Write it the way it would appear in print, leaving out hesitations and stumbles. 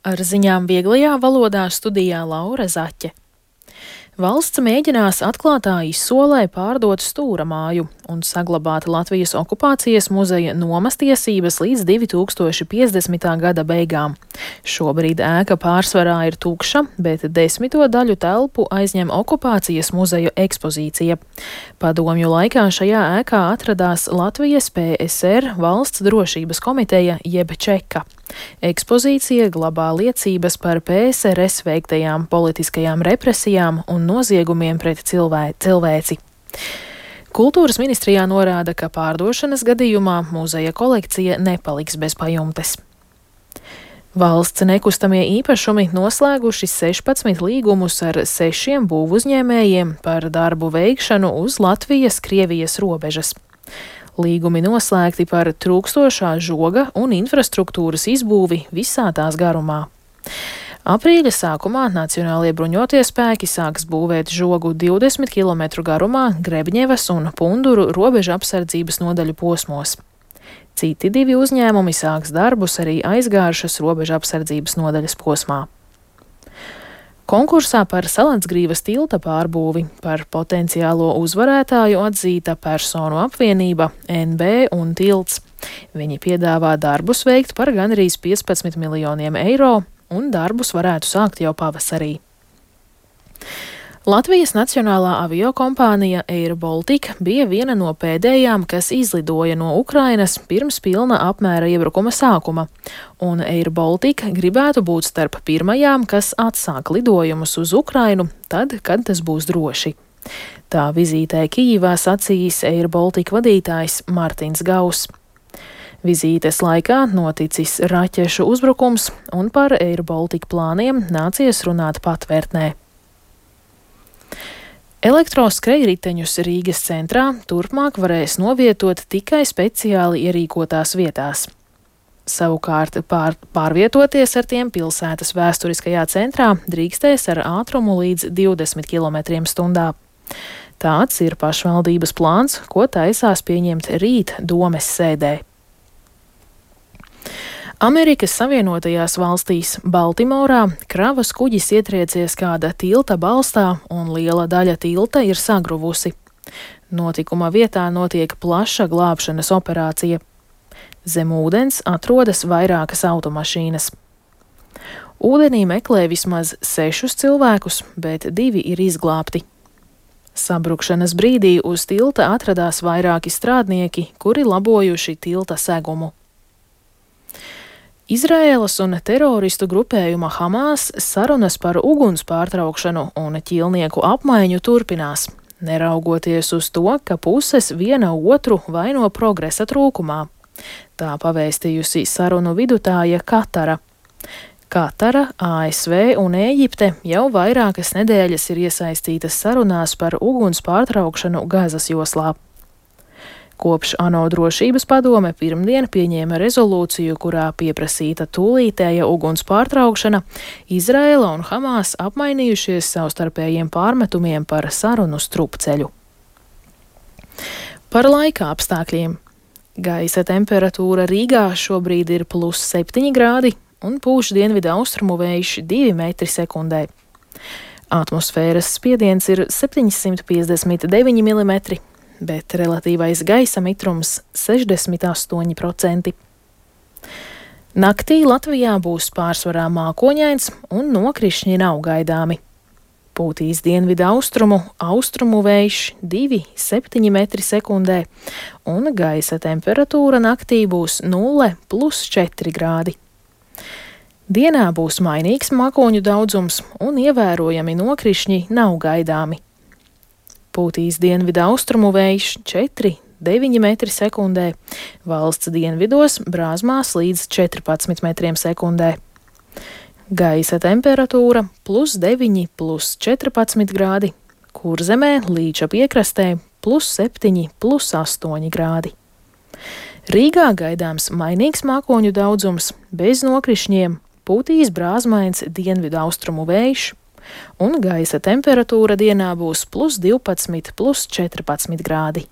Ar ziņām vieglajā valodā studijā Laura Zaķe. Valsts mēģinās atklātā izsolē pārdot Stūra māju un saglabāt Latvijas okupācijas muzeja nomas tiesības līdz 2050. gada beigām. Šobrīd ēka pārsvarā ir tukša, bet 10. daļu telpu aizņem okupācijas muzeja ekspozīcija. Padomju laikā šajā ēkā atradās Latvijas PSR Valsts drošības komiteja jeb Čeka. Ekspozīcija glabā liecības par PSRS veiktajām politiskajām represijām un noziegumiem pret cilvēci. Kultūras ministrijā norāda, ka pārdošanas gadījumā muzeja kolekcija nepaliks bez pajumtes. Valsts nekustamie īpašumi noslēguši 16 līgumus ar 6 būvuzņēmējiem par darbu veikšanu uz Latvijas-Krievijas robežas. Līgumi noslēgti par trūkstošā žoga un infrastruktūras izbūvi visā tās garumā. Aprīļa sākumā Nacionālie bruņotie spēki sāks būvēt žogu 20 km garumā Grebņevas un Punduru robeža apsardzības nodaļu posmos. Citi 2 uzņēmumi sāks darbus arī Aizgāršas robeža apsardzības nodaļas posmā. Konkursā par Salansgrīvas tilta pārbūvi par potenciālo uzvarētāju atzīta personu apvienība NB un tilts. Viņi piedāvā darbus veikt par gandrīz 15 miljoniem eiro, un darbus varētu sākt jau pavasarī. Latvijas Nacionālā aviokompānija Air Baltica bija viena no pēdējām, kas izlidoja no Ukrainas pirms pilna apmēra iebrukuma sākuma, un Air Baltica gribētu būt starp pirmajām, kas atsāk lidojumus uz Ukrainu tad, kad tas būs droši. Tā vizītē Kijivā sacījis Air Baltica vadītājs Martins Gauss. Vizītes laikā noticis raķešu uzbrukums, un par Air Baltica plāniem nācies runāt patvērtnē. Elektroskrejriteņus Rīgas centrā turpmāk varēs novietot tikai speciāli ierīkotās vietās. Savukārt pārvietoties ar tiem pilsētas vēsturiskajā centrā drīkstēs ar ātrumu līdz 20 km/h. Tāds ir pašvaldības plāns, ko taisās pieņemt rīt domes sēdē. Amerikas Savienotajās valstīs Baltimorā kravas kuģis ietriecies kāda tilta balstā un liela daļa tilta ir sagruvusi. Notikuma vietā notiek plaša glābšanas operācija. Zem ūdens atrodas vairākas automašīnas. Ūdenī meklē vismaz 6 cilvēkus, bet 2 ir izglābti. Sabrukšanas brīdī uz tilta atradās vairāki strādnieki, kuri labojuši tilta segumu. Izraēlas un teroristu grupējuma Hamas sarunas par uguns pārtraukšanu un ķīlnieku apmaiņu turpinās, neraugoties uz to, ka puses viena otru vaino progresa trūkumā. Tā pavēstījusi sarunu vidutāja Katara. Katara, ASV un Ēģipte jau vairākas nedēļas ir iesaistītas sarunās par uguns pārtraukšanu Gazas joslā. Kopš ANO drošības padome pirmdien pieņēma rezolūciju, kurā pieprasīta tūlītēja uguns pārtraukšana, Izraēla un Hamas apmainījušies savstarpējiem pārmetumiem par sarunu strupceļu. Par laika apstākļiem. Gaisa temperatūra Rīgā šobrīd ir +7 grādi un pūš dienvidu austrumu vējš 2 m/s. Atmosfēras spiediens ir 759 mm. Bet relatīvais gaisa mitrums 68%. Naktī Latvijā būs pārsvarā mākoņains un nokrišņi nav gaidāmi. Pūtīs dienvidu austrumu vējš 2,7 m/s, un gaisa temperatūra naktī būs 0 + 4 grādi. Dienā būs mainīgs mākoņu daudzums un ievērojami nokrišņi nav gaidāmi. Pūtīs dienvidu austrumu vējš 4,9 m/s, valsts dienvidos brāzmās līdz 14 m/s. Gaisa temperatūra +9 + 14 grādi, Kurzemē līča piekrastē +7 + 8 grādi. Rīgā gaidāms mainīgs mākoņu daudzums, bez nokrišņiem, pūtīs brāzmains dienvidu austrumu vējš, un gaisa temperatūra dienā būs +12 + 14 grādi.